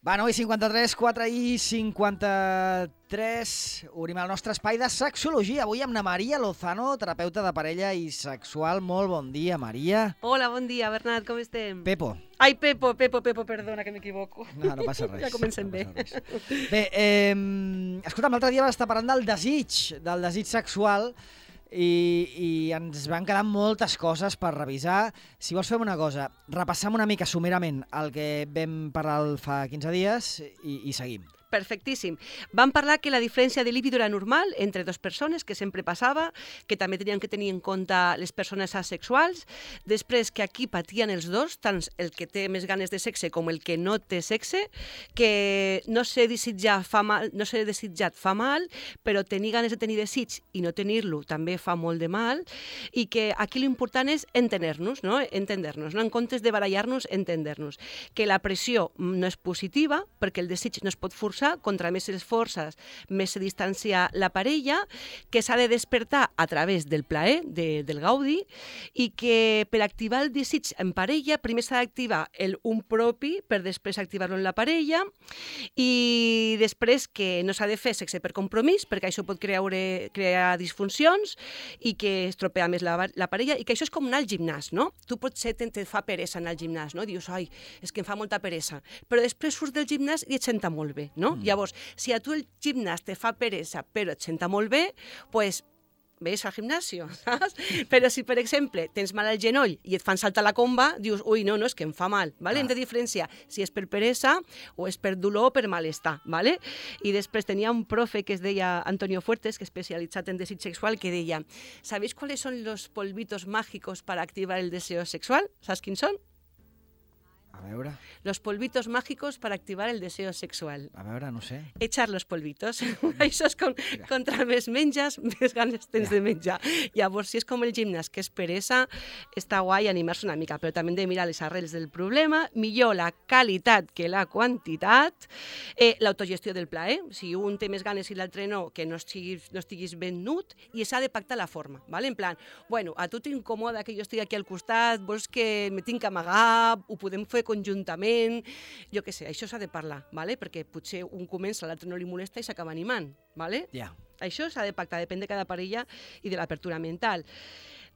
Va, 9:53, 4:53, obrim el nostre espai de sexologia. Avui amb la Maria Lozano, terapeuta de parella i sexual. Molt bon dia, Maria. Hola, bon dia, Bernat, com estem? Pepo. Ai, Pepo, perdona, que m'equivoco. No passa res. Ja comencem bé. Bé, escolta'm, l'altre dia vas estar parlant del desig sexual i ens van quedar moltes coses per revisar. Si vols, fem una cosa, repassem una mica somerament el que vam parlar fa 15 dies i seguim. Perfectíssim. Vam parlar que la diferència de líbido era normal entre dues persones, que sempre passava, que també tenien que tenir en compte les persones asexuals, després que aquí patien els dos, tant el que té més ganes de sexe com el que no té sexe, que no ser desitjat fa mal, però tenir ganes de tenir desig i no tenir-lo també fa molt de mal, i que aquí l'important és entendre-nos, no? Entendre-nos, no? En comptes de barallar-nos, entendre-nos. Que la pressió no és positiva, perquè el desig no es pot forçar, contra més les forces, més se distancia la parella, que s'ha de despertar a través del plaer, del gaudi, i que per activar el desig en parella primer s'ha d'activar un propi per després activar-lo en la parella, i després que no s'ha de fer sexe per compromís, perquè això pot crear disfuncions i que estropea més la parella, i que això és com anar al gimnàs, no? Tu potser te fa peresa anar al gimnàs, no? Dius, ai, és que em fa molta peresa, però després surts del gimnàs i et senta molt bé, no? Llavors, si a tu el gimnàs te fa peresa però et senta molt bé, doncs ves al gimnasio, saps? Però si, per exemple, tens mal al genoll i et fan saltar la comba, dius, ui, no, és que em fa mal, ¿vale? Hem de diferenciar si és per peresa o és per dolor o per malestar, ¿vale? I després tenia un profe que es deia Antonio Fuertes, que és especialitzat en desig sexual, que deia, ¿sabéis cuáles son los polvitos mágicos para activar el deseo sexual? ¿Saps quins són? A veure... Los polvitos mágicos para activar el deseo sexual. A veure, no sé. Echar los polvitos. Això és contra més menges, més ganes tens de menjar. Llavors, si és com el gimnàs, que és peresa, està guai animar-se una mica, però també hem de mirar les arrels del problema, millor la qualitat que la quantitat, l'autogestió del plaer, si un té més ganes i l'altre no, que no estiguis ben nut, i s'ha de pactar la forma, ¿vale? En plan, bueno, a tu t'incomoda que jo estigui aquí al costat, vols que me tinc que amagar, ho podem fer conjuntament, jo què sé, això s'ha de parlar, ¿vale? Perquè potser un comença, l'altre no li molesta i s'acaba animant, ¿vale? Això s'ha de pactar, depèn de cada parella i de l'apertura mental.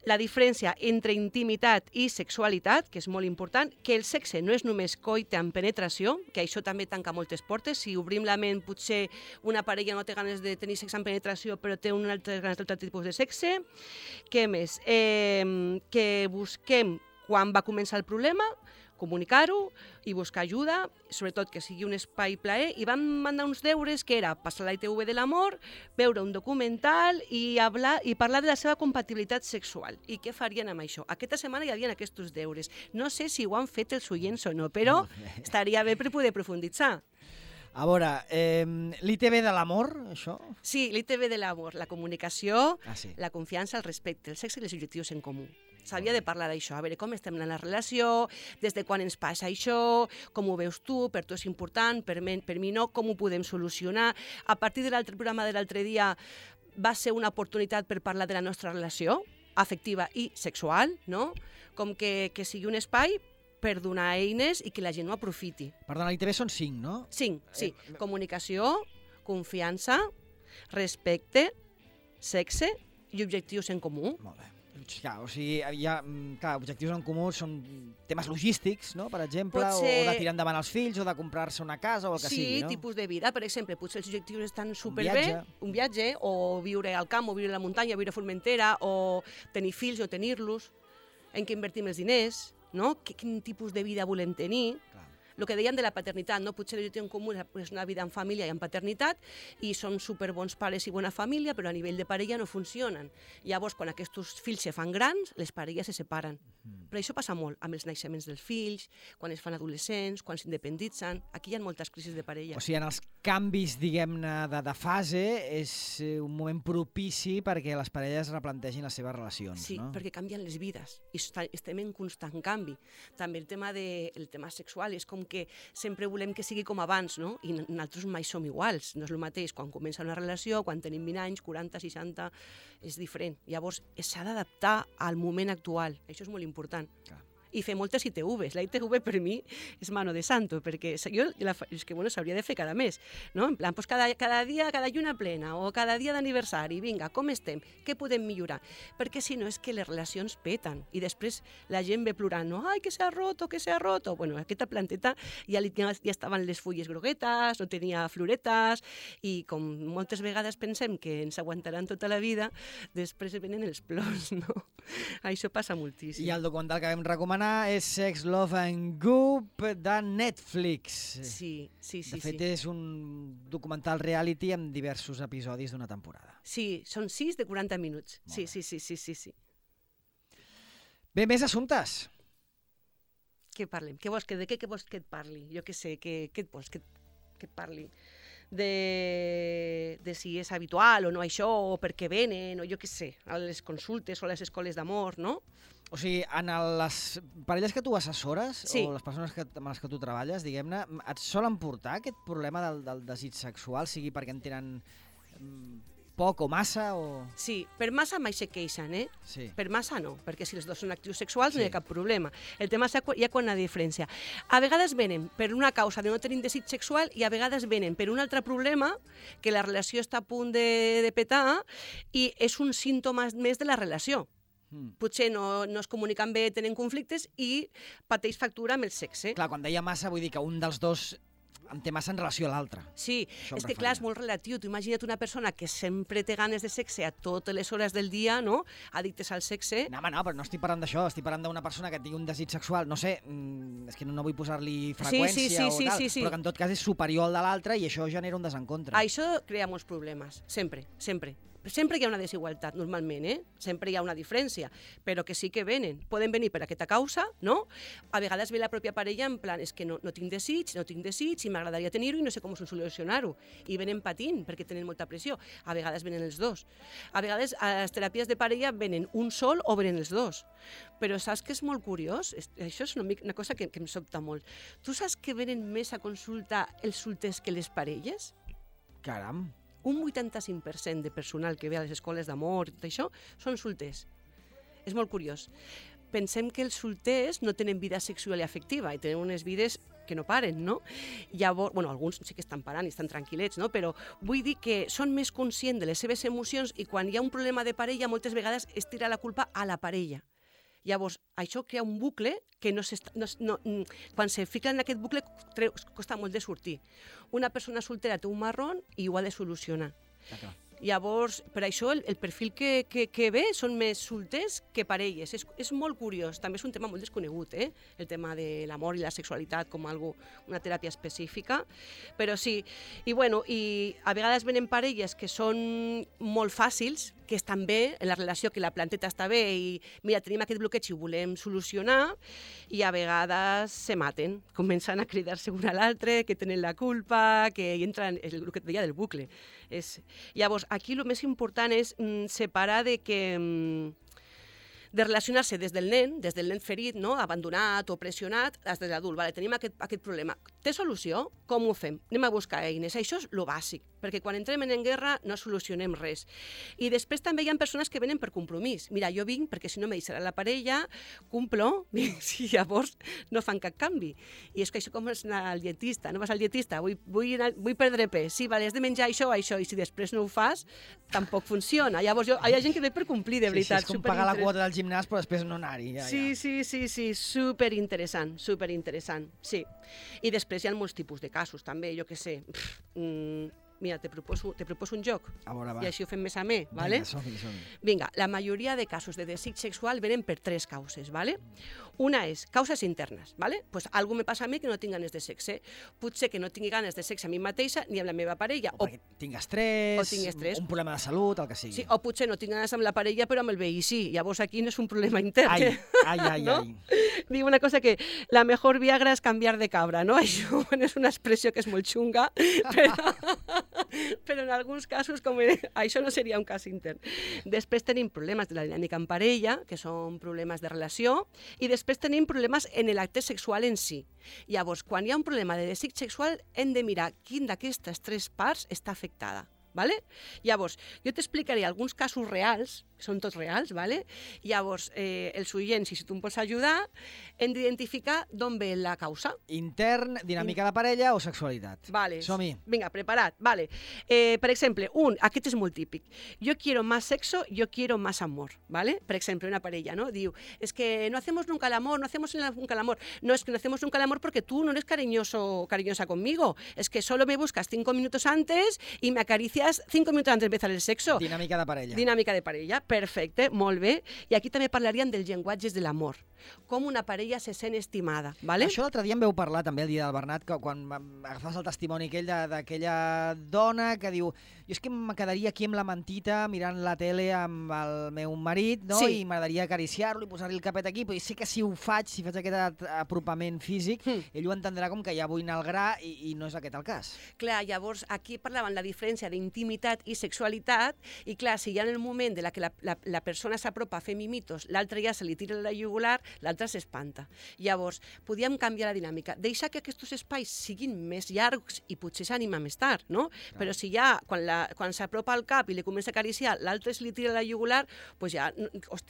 La diferència entre intimitat i sexualitat, que és molt important, que el sexe no és només coite amb penetració, que això també tanca moltes portes. Si obrim la ment, potser una parella no té ganes de tenir sexe amb penetració, però té ganes d'altre tipus de sexe. Què més? Que busquem quan va començar el problema, comunicar-ho i buscar ajuda, sobretot que sigui un espai plaer, i vam mandar uns deures que era passar la ITV de l'amor, veure un documental i parlar de la seva compatibilitat sexual. I què farien amb això? Aquesta setmana hi havia aquests deures. No sé si ho han fet els oients o no, però estaria bé per poder profunditzar. A veure, l'ITV de l'amor, això? Sí, l'ITV de l'amor, la comunicació, sí. La confiança, el respecte, el sexe i els objectius en comú. S'havia de parlar d'això, a veure com estem en la relació, des de quan ens passa això, com ho veus tu, per tu és important, per mi no, com ho podem solucionar. A partir de l'altre programa de l'altre dia va ser una oportunitat per parlar de la nostra relació afectiva i sexual, no? Com que sigui un espai per donar eines i que la gent ho aprofiti. Perdona, l'ITV són 5, no? 5, sí. Comunicació, confiança, respecte, sexe i objectius en comú. Molt bé. Clar, o sigui, objectius en comú són temes logístics, no?, per exemple, o de tirar endavant els fills, o de comprar-se una casa, o el que sigui, no? Sí, tipus de vida, per exemple, potser els objectius estan superbé, un viatge, o viure al camp, o viure a la muntanya, viure a Formentera, o tenir fills o tenir-los, en què invertim els diners, no? Quin tipus de vida volem tenir? El que deien de la paternitat, no? Potser l'objectiu en comú és una vida en família i en paternitat i són superbons pares i bona família, però a nivell de parella no funcionen. Llavors, quan aquests fills se fan grans, les parelles se separen. Però això passa molt amb els naixements dels fills, quan es fan adolescents, quan s'independitzen. Aquí hi ha moltes crisis de parella. O sigui, en els canvis, diguem-ne, de fase, és un moment propici perquè les parelles replantegin les seves relacions, no? Sí, perquè canvien les vides i estem en constant canvi. També el tema sexual és com que sempre volem que sigui com abans, no? I nosaltres mai som iguals. No és el mateix quan comença una relació, quan tenim 20 anys, 40, 60, és diferent. Llavors s'ha d'adaptar al moment actual. Això és molt important. i fer moltes ITVs. La ITV per mi és mano de santo, perquè jo és que s'hauria de fer cada mes, no? En plan, doncs cada dia, cada lluna plena, o cada dia d'aniversari, vinga, com estem? Què podem millorar? Perquè si no és que les relacions peten, i després la gent ve plorant, no? Ai, que s'ha roto, que s'ha roto. Bueno, aquesta planteta ja estaven les fulles groguetes, no tenia floretes, i com moltes vegades pensem que ens aguantaran tota la vida, després venen els plors, no? Això passa moltíssim. I el documental que vam recomanar és Sex, Love and Goop de Netflix. Sí. De fet, és un documental reality amb diversos episodis d'una temporada. Sí, són 6 de 40 minuts. Sí. Bé, més assumptes. Què parlem? De què vols que et parli? Jo què sé, què et vols que et parli? De si és habitual o no això, o per què venen, o jo què sé, a les consultes o a les escoles d'amor, no? O sigui, en les parelles que tu assessores, sí, o les persones amb les que tu treballes, diguem-ne, et solen portar aquest problema del desig sexual, sigui perquè en tenen poc o massa, o... Sí, per massa mai se queixen, Sí. Per massa no, perquè si els dos són actius sexuals Sí. no hi ha cap problema. El tema és ja quan la diferència. A vegades venen per una causa de no tenir desig sexual i a vegades venen per un altre problema, que la relació està a punt de petar i és un símptoma més de la relació. Potser no es comuniquen bé, tenen conflictes i pateix factura amb el sexe. Clar, quan deia massa vull dir que un dels dos en té massa en relació a l'altre. Sí, és que clar, és molt relatiu. Tu imagina't una persona que sempre té ganes de sexe a totes les hores del dia, no? Addictes al sexe. No, però no estic parlant d'això, estic parlant d'una persona que tingui un desig sexual, no sé, és que no vull posar-li freqüència o tal, però que en tot cas és superior al de l'altre i això genera un desencontre. Això crea molts problemes, sempre. Sempre hi ha una desigualtat, normalment, Sempre hi ha una diferència, però que sí que venen. Poden venir per aquesta causa, no? A vegades ve la pròpia parella en plan, és que no tinc desig, i m'agradaria tenir-ho i no sé com solucionar-ho. I venen patint perquè tenen molta pressió. A vegades venen els dos. A vegades a les teràpies de parella venen un sol o venen els dos. Però saps que és molt curiós? Això és una cosa que em sobta molt. Tu saps que venen més a consulta els solters que les parelles? Caram! Un 85% de personal que ve a les escoles d'amor i tot això són solters. És molt curiós. Pensem que els solters no tenen vida sexual i afectiva i tenen unes vides que no paren, no? Llavors, alguns sí que estan parant i estan tranquil·lets, no? Però vull dir que són més conscients de les seves emocions i quan hi ha un problema de parella moltes vegades es tira la culpa a la parella. Llavors, això crea un bucle que quan se fica en aquest bucle costa molt de sortir. Una persona soltera té un marrón i ho ha de solucionar. Llavors, per això el perfil que ve són més solters que parelles. És molt curiós. També és un tema molt desconegut, el tema de l'amor i la sexualitat com una teràpia específica. Però sí, i a vegades venen parelles que són molt fàcils, que estan bé, en la relació, que la planteta està bé i mira, tenim aquest bloqueig i ho volem solucionar, i a vegades se maten, comencen a cridar-se un a l'altre, que tenen la culpa, que entren, és el que et deia del bucle. Llavors, aquí el més important és separar de relacionar-se des del nen ferit, no? Abandonat o pressionat, des de l'adult. Vale, tenim aquest problema. Té solució? Com ho fem? Anem a buscar eines. Això és el bàsic, perquè quan entrem en guerra no solucionem res. I després també hi ha persones que venen per compromís. Mira, jo vinc perquè si no me deixarà la parella, cumplo, i llavors no fan cap canvi. I és que això com és anar al dietista. No vas al dietista, vull perdre pes. Sí, vale, has de menjar això, i si després no ho fas, tampoc funciona. Llavors hi ha gent que ve per complir, de veritat. Sí, és com pagar la quota del gimnàs però després no anar-hi. Sí, superinteressant, sí. I després hi ha molts tipus de casos, també, jo què sé. Mira, te proposo un joc. A veure, va. I així ho fem més amè, ¿vale? Vinga, som-hi. Vinga, la majoria de casos de desig sexual venen per 3 causes, ¿vale? Una és causes internes, ¿vale? Pues algo me passa a mi que no tinc ganes de sexe. Potser que no tingui ganes de sexe a mi mateixa ni amb la meva parella. O perquè tinc estrès, un problema de salut, el que sigui. Sí, o potser no tinc ganes amb la parella però amb el veí sí. Llavors aquí no és un problema intern. Ai. ¿No? Diu una cosa que la mejor Viagra és canviar de cabra, no? Això és una expressió que és molt xunga, però en alguns casos això no seria un cas intern. Després tenim problemes de la dinàmica en parella, que són problemes de relació, i després tenim problemes en l'acte sexual en si. Llavors, quan hi ha un problema de desig sexual, hem de mirar quin d'aquestes 3 parts està afectada. ¿Vale? Llavors, jo t'explicaré alguns casos reals són tots reals, ¿vale? Llavors, els oients, si tu em pots ajudar, hem d'identificar d'on ve la causa. Intern, dinàmica de parella o sexualitat. Vale. Som-hi. Vinga, preparat. Vale. Per exemple, aquest és molt típic. Yo quiero más sexo, yo quiero más amor, ¿vale? Per exemple, una parella, ¿no? Diu, es que no hacemos nunca el amor, no hacemos nunca el amor. No, es que no hacemos nunca el amor porque tú no eres cariñoso o cariñosa conmigo. Es que solo me buscas 5 minutos antes y me acaricias 5 minutos antes de empezar el sexo. Dinàmica de parella. Dinàmica de parella, perfecte, molt bé. I aquí també parlaríem dels llenguatges de l'amor, com una parella se sent estimada, ¿vale? Això l'altre dia em veu parlar també el dia del Bernat, que quan agafaves el testimoni aquell d'aquella dona que diu, jo és que em quedaria aquí amb la mantita mirant la tele amb el meu marit, no? Sí. I m'agradaria acariciar-lo i posar-li el capet aquí, però sé que si ho faig, si faig aquest apropament físic, ell ho entendrà com que ja vull anar al gra i no és aquest el cas. Clar, llavors aquí parlaven la diferència d'intimitat i sexualitat i clar, si ja en el moment de la que la persona s'apropa a fer mimitos, l'altre ja se li tira la jugular, l'altre s'espanta. Llavors, podíem canviar la dinàmica, deixar que aquests espais siguin més llargs i potser s'anima més tard, no? Clar. Però si ja, quan s'apropa al cap i li comença a acariciar, l'altre se li tira la jugular, pues ja,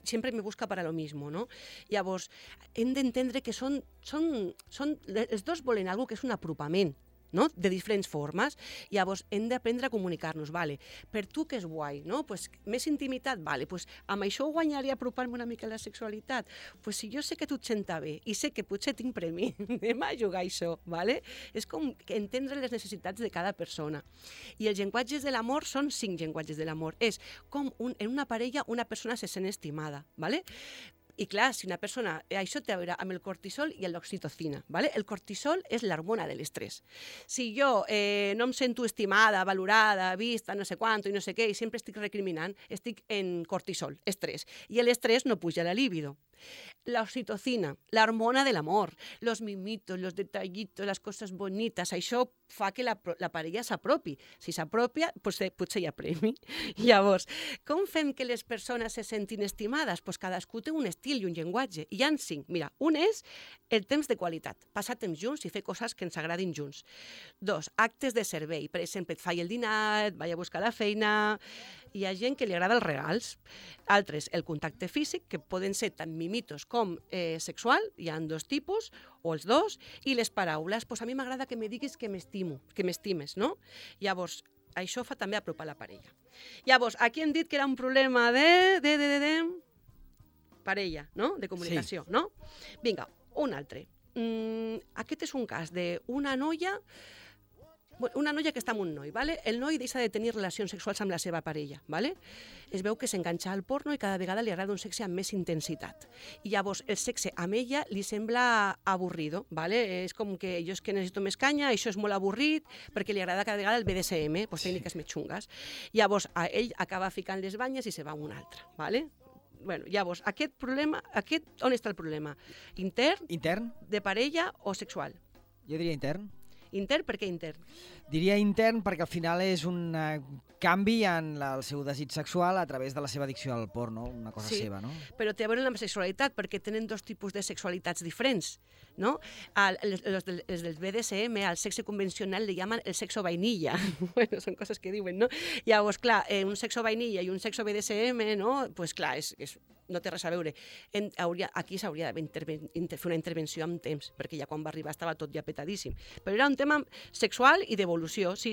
sempre me busca para lo mismo, no? Llavors, hem d'entendre que els dos volen alguna cosa que és un apropament, no? De diferents formes. Llavors, hem d'aprendre a comunicar-nos, vale. Per tu que és guai, no? Pues, més intimitat, vale. Pues, amb això guanyaria apropar-me una mica a la sexualitat. Pues, si jo sé que tu et senta bé i sé que potser tinc premi, anem a jugar això, vale? És com entendre les necessitats de cada persona. I els llenguatges de l'amor són 5 llenguatges de l'amor. És com en una parella una persona se sent estimada, vale? I clar, si una persona... Això té a veure amb el cortisol i l'oxitocina, ¿vale? El cortisol és l'hormona de l'estrès. Si jo no em sento estimada, valorada, vista, no sé quant i no sé què, i sempre estic recriminant, estic en cortisol, estrès. I l'estrès no puja la libido. La oxitocina, la hormona del amor, los mimitos, los detallitos, las cosas bonitas, això fa que la parella s'apropi. Si s'apropia, potser hi ha premi. Llavors, com fem que les persones se sentin estimades? Pues cadascú té un estil i un llenguatge. I hi ha 5. Mira, un és el temps de qualitat, passar temps junts i fer coses que ens agradin junts. 2, actes de servei. Per exemple, et faig el dinar, et vaig a buscar la feina... Hi ha gent que li agrada els regals. Altres, el contacte físic, que poden ser tant mimitos com sexual, hi ha 2 tipus, o els 2, i les paraules, pues a mi m'agrada que me diguis que m'estimo, que m'estimes, no? Llavors, això fa també apropar la parella. Llavors, aquí hem dit que era un problema de parella, no? De comunicació, sí. No? Vinga, un altre. Aquest és un cas d'una noia que està amb un noi, ¿vale? El noi deixa de tenir relacions sexuals amb la seva parella, ¿vale? Es veu que s'enganxa al porno i cada vegada li agrada un sexe amb més intensitat. I llavors el sexe amb ella li sembla avorrido, ¿vale? És com que jo és que necessito més canya, això és molt avorrit, perquè li agrada cada vegada el BDSM, pues tècniques més xungues. Llavors ell acaba ficant les banyes i se va amb un altre, ¿vale? Bueno, llavors, on està el problema? Intern? De parella o sexual? Jo diria intern. Intern? Per què intern? Diria intern perquè al final és un canvi en el seu desig sexual a través de la seva addicció al porno, una cosa seva, no? Però té a veure amb la sexualitat, perquè tenen 2 tipus de sexualitats diferents, no? Els del BDSM, al sexe convencional, li llaman el sexo vainilla. Bueno, són coses que diuen, no? Llavors, clar, un sexo vainilla i un sexo BDSM, no? Pues clar, no té res a veure. Aquí s'hauria de fer una intervenció amb temps, perquè ja quan va arribar estava tot ja petadíssim. Però era un tema sexual i d'evolució, sí.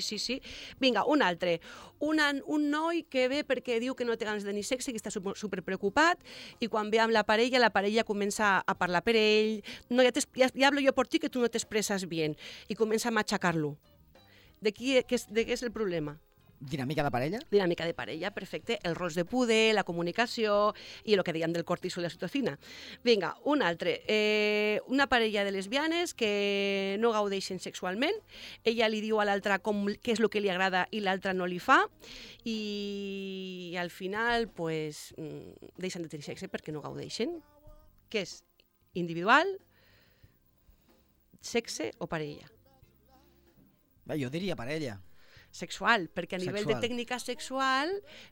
Vinga, un altre. Un noi que ve perquè diu que no té ganes de tenir sexe, que està superpreocupat, i quan ve amb la parella comença a parlar per ell. No, ja hablo yo por ti que tu no t'expresses bien. I comença a matxacar-lo. De què és el problema? Dinàmica de parella? Dinàmica de parella, perfecte. Els rols de poder, la comunicació i el que dèiem del cortisol i la oxitocina. Vinga, un altre. Una parella de lesbianes que no gaudeixen sexualment. Ella li diu a l'altra què és el que li agrada i l'altra no li fa. I al final, pues, deixen de tenir sexe perquè no gaudeixen. Què és? Individual, sexe o parella? Jo diria parella. Sexual, perquè a nivell de tècnica sexual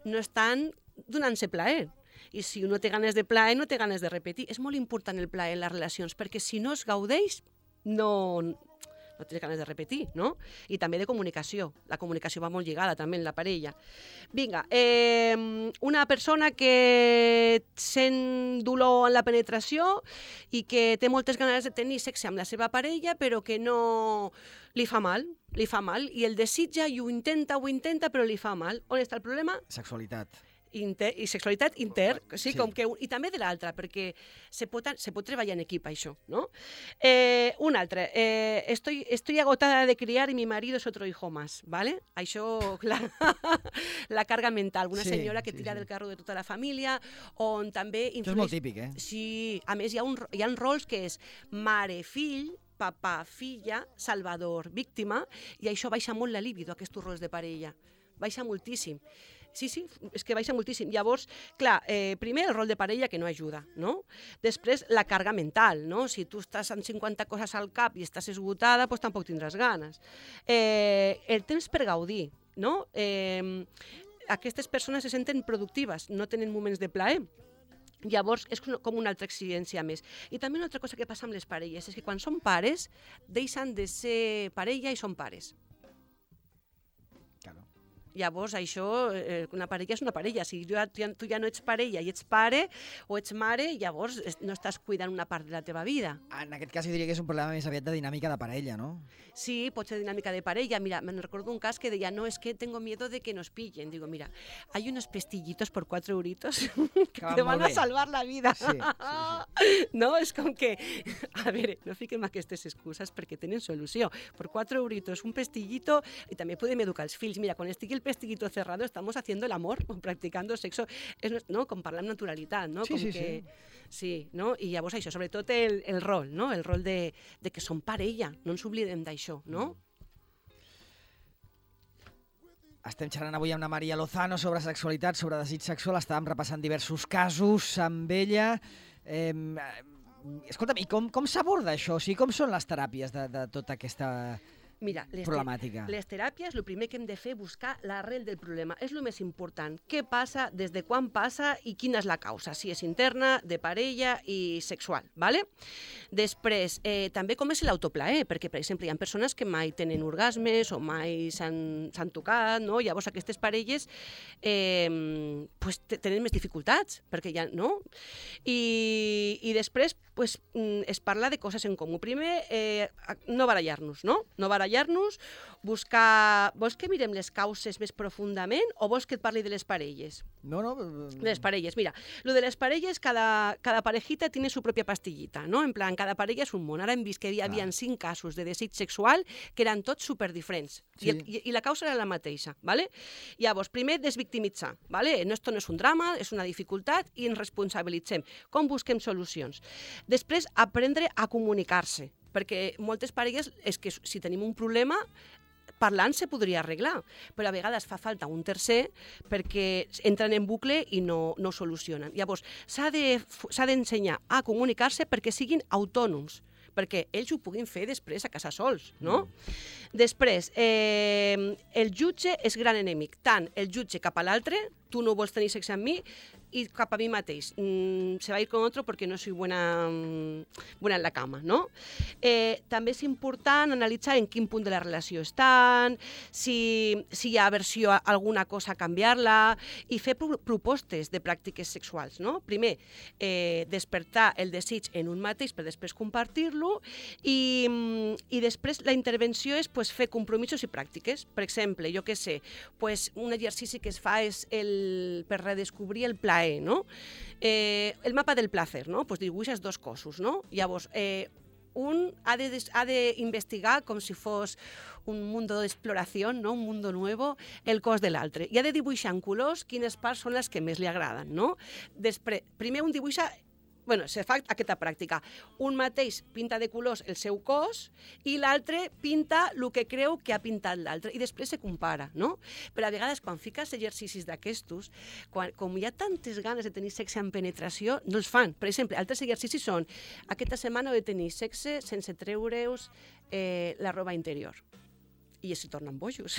no estan donant-se plaer. I si un no té ganes de plaer, no té ganes de repetir. És molt important el plaer en les relacions, perquè si no es gaudeix, no no tens ganes de repetir, no? I també de comunicació. La comunicació va molt lligada també en la parella. Vinga, una persona que sent dolor en la penetració i que té moltes ganes de tenir sexe amb la seva parella, però que no li fa mal, i el desitja i ho intenta, però li fa mal. On està el problema? Sexualitat. I sexualitat sí. Com que, i també de l'altra, perquè se pot treballar en equip, això, no? Un altre, estoy agotada de criar y mi marido es otro hijo más, ¿vale? Això, la carga mental, una senyora que tira del carro de tota la família, on també... Això és molt típic, eh? Sí, a més hi ha rols que és mare-fill, papa, filla, salvador, víctima, i això baixa molt la libido, aquests rols de parella. Baixa moltíssim. Sí, és que baixa moltíssim. Llavors, clar, primer el rol de parella que no ajuda, no? Després la carga mental, no? Si tu estàs amb 50 coses al cap i estàs esgotada, doncs tampoc tindràs ganes. El temps per gaudir, no? Aquestes persones se senten productives, no tenen moments de plaer. Llavors, és com una altra exigència més. I també una altra cosa que passa amb les parelles és que quan són pares, deixen de ser parella i són pares. Claro. Llavors, això, una parella és una parella. Si tu ja no ets parella i ets pare o ets mare, llavors no estàs cuidant una part de la teva vida. En aquest cas, jo diria que és un problema més aviat de dinàmica de parella, no? Sí, pot ser dinàmica de parella. Mira, me recuerdo un cas que deia, no, es que tengo miedo de que nos pillen. Digo, mira, hay unos pestillitos por 4 euritos que te van a salvar la vida. Sí. No, és com que... A veure, no fiquem aquestes excuses perquè tenen solució. Por 4 euritos, un pestillito, i també podem educar els fills. Mira, quan estigui el pestillito cerrado, estamos haciendo el amor o practicando sexo, no? Com parlar amb naturalitat, no? Sí, no? I llavors això, sobretot el rol, no? El rol de que som parella, no ens oblidem d'això, no? Estem xerrant avui amb la Maria Lozano sobre sexualitat, sobre desig sexual, estàvem repassant diversos casos amb ella. Escolta'm, i com s'aborda això? O sigui, com són les teràpies de tota aquesta... Mira, problemàtica. Les teràpies, el primer que hem de fer és buscar l'arrel del problema. És el més important. Què passa, des de quan passa i quina és la causa, si és interna, de parella i sexual, ¿vale? Després, també com és l'autoplaer, perquè, per exemple, hi ha persones que mai tenen orgasmes o mai s'han tocat, no? Llavors aquestes parelles tenen més dificultats, perquè ja, no? I després es parla de coses en comú. Primer, no barallar-nos, no? No barallar-nos, buscar... Vols que mirem les causes més profundament o vols que et parli de les parelles? No. De les parelles. Mira, lo de les parelles, cada parejita tiene su propia pastillita, no? En plan, cada parella és un món. Ara hem vist que hi havia 5 casos de desig sexual que eren tots superdiferents. Sí. I la causa era la mateixa, ¿vale? Llavors, primer, desvictimitzar, ¿vale? Esto no és un drama, és una dificultat i ens responsabilitzem. Com busquem solucions? Després, aprendre a comunicar-se, perquè moltes parelles és que si tenim un problema, parlant se podria arreglar, però a vegades fa falta un tercer perquè entren en bucle i no solucionen. Llavors, s'ha d'ensenyar a comunicar-se perquè siguin autònoms, perquè ells ho puguin fer després a casa sols, no? Després, el jutge és gran enemic, tant el jutge cap a l'altre, tu no vols tenir sexe amb mi, i cap a mi mateix. Se va a ir con otro porque no soy buena en la cama, no? També és important analitzar en quin punt de la relació estan, si hi ha aversió a alguna cosa, canviar-la, i fer propostes de pràctiques sexuals, no? Primer, despertar el desig en un mateix per després compartir-lo, i després la intervenció és fer compromisos i pràctiques. Per exemple, jo què sé, un exercici que es fa és per redescobrir el plaer, no? El mapa del placer, no? Pues dibuixes 2 cossos, no? Llavors, un ha d'investigar com si fos un mundo d'exploració, no? Un mundo nuevo, el cos de l'altre. I ha de dibuixar en colors quines parts són les que més li agraden, no? Després, primer un dibuixa... se fa aquesta pràctica. Un mateix pinta de colors el seu cos i l'altre pinta el que creu que ha pintat l'altre i després se compara, no? Però a vegades quan fiques exercicis d'aquestos, com hi ha tantes ganes de tenir sexe en penetració, no els fan. Per exemple, altres exercicis són aquesta setmana heu de tenir sexe sense treure's la roba interior. I es tornen bojos.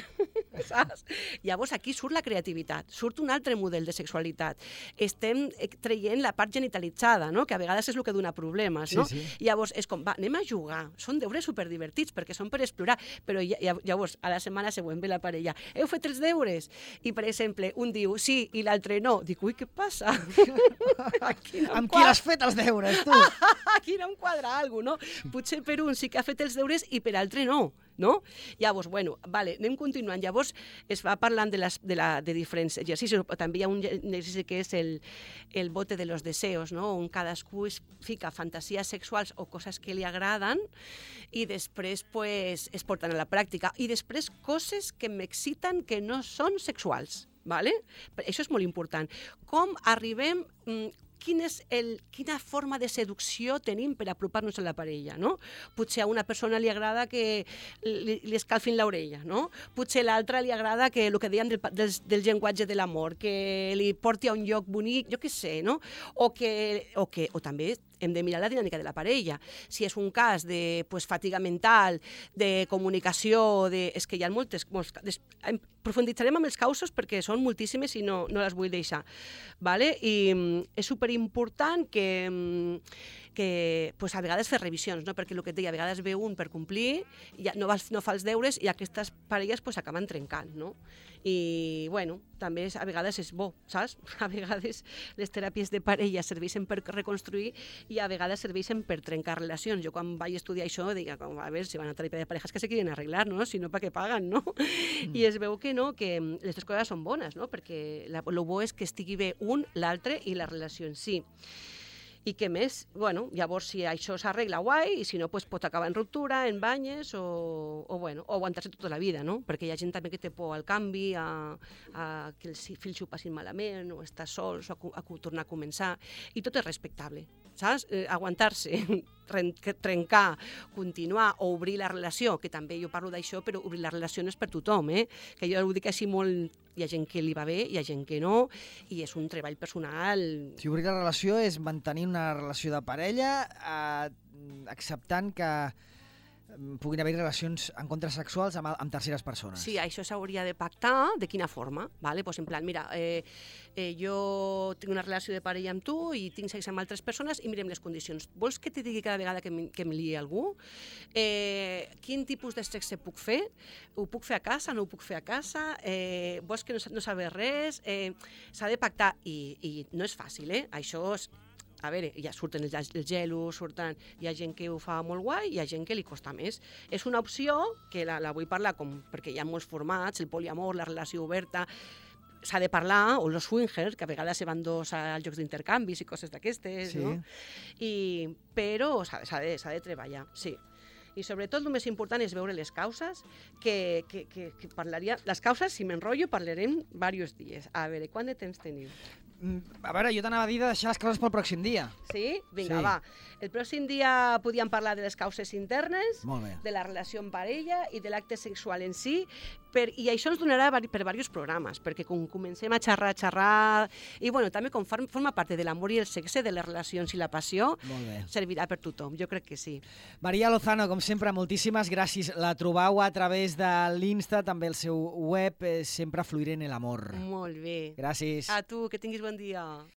saps? Llavors aquí surt la creativitat, surt un altre model de sexualitat. Estem traient la part genitalitzada, no? Que a vegades és el que dona problemes, no? Sí. Llavors és com, va, anem a jugar. Són deures superdivertits perquè són per explorar, però llavors a la setmana següent ve la parella. Heu fet els deures? I, per exemple, un diu sí i l'altre no. Dic, ui, què passa? Amb qui l'has fet els deures, tu? Aquí no em quadra alguna cosa, no? Potser per un sí que ha fet els deures i per altre no. No? Llavors, bueno, vale, anem continuant. Llavors es va parlant de diferents exercicis, però també hi ha un exercici que és el bote de los deseos, no? On cadascú es fica fantasies sexuals o coses que li agraden i després pues, es porten a la pràctica. I després coses que m'exciten que no són sexuals. ¿Vale? Això és molt important. Com arribem... quina forma de seducció tenim per apropar-nos a la parella, no? Potser a una persona li agrada que li escalfin l'orella, no? Potser a l'altra li agrada que el que dèiem del llenguatge de l'amor, que li porti a un lloc bonic, jo què sé, no? O també hem de mirar la dinàmica de la parella. Si és un cas de fatiga mental, de comunicació, és que hi ha molts... Profunditzarem amb els causos perquè són moltíssimes i no les vull deixar. ¿Vale? I és superimportant que a vegades fer revisions, no? Perquè el que et deia, a vegades ve un per complir, ja no fa els deures i aquestes parelles acaben trencant, no? I, bueno, també a vegades és bo, saps? A vegades les teràpies de parella serveixen per reconstruir i a vegades serveixen per trencar relacions. Jo quan vaig estudiar això deia, a veure, si van a teràpia de parejas que se quieren arreglar, no? Si no, ¿para qué pagan, no? I es veu que no, que les dues coses són bones, no? Perquè el bo és que estigui bé un, l'altre i la relació en si. I què més? Bueno, llavors, si això s'arregla, guai, i si no, pues, pot acabar en ruptura, en banyes, o aguantar-se tota la vida, no? Perquè hi ha gent també que té por al canvi, a que els fills ho passin malament, o estar sols, o a tornar a començar, i tot és respectable, saps? Aguantar-se, trencar, continuar o obrir la relació, que també jo parlo d'això, però obrir la relació no és per tothom, que jo ho dic així molt... Hi ha gent que li va bé, hi ha gent que no, i és un treball personal. Si obrir la relació és mantenir una relació de parella, acceptant que puguin haver relacions encontres sexuals amb terceres persones. Sí, això s'hauria de pactar, de quina forma, ¿vale? Pues en plan, mira, jo tinc una relació de parella amb tu i tinc sexe amb altres persones i mirem les condicions. Vols que te digui cada vegada que em liï algú? Quin tipus de sexe puc fer? Ho puc fer a casa? No ho puc fer a casa? Vols que no sabés res? S'ha de pactar i no és fàcil, Això és... A veure, ja surten els gelos, hi ha gent que ho fa molt guai i hi ha gent que li costa més. És una opció que la vull parlar perquè hi ha molts formats, el poliamor, la relació oberta, s'ha de parlar, o els swingers, que a vegades se van dos als jocs d'intercanvis i coses d'aquestes, no? Però s'ha de treballar, sí. I sobretot el més important és veure les causes, que parlaria... Les causes, si m'enrotllo, parlarem diversos dies. A veure, quant de temps teniu? A veure, jo t'anava a dir de deixar les causes pel pròxim dia. Sí? Vinga, va. El pròxim dia podíem parlar de les causes internes, de la relació en parella i de l'acte sexual en si, i això ens donarà per diversos programes, perquè com comencem a xerrar, i bueno, també com forma part de l'amor i el sexe, de les relacions i la passió, servirà per tothom, jo crec que sí. Maria Lozano, com sempre, moltíssimes gràcies. La trobau a través de l'Insta, també el seu web, sempre fluir en el amor. Molt bé. Gràcies. A tu, que tinguis bon dia.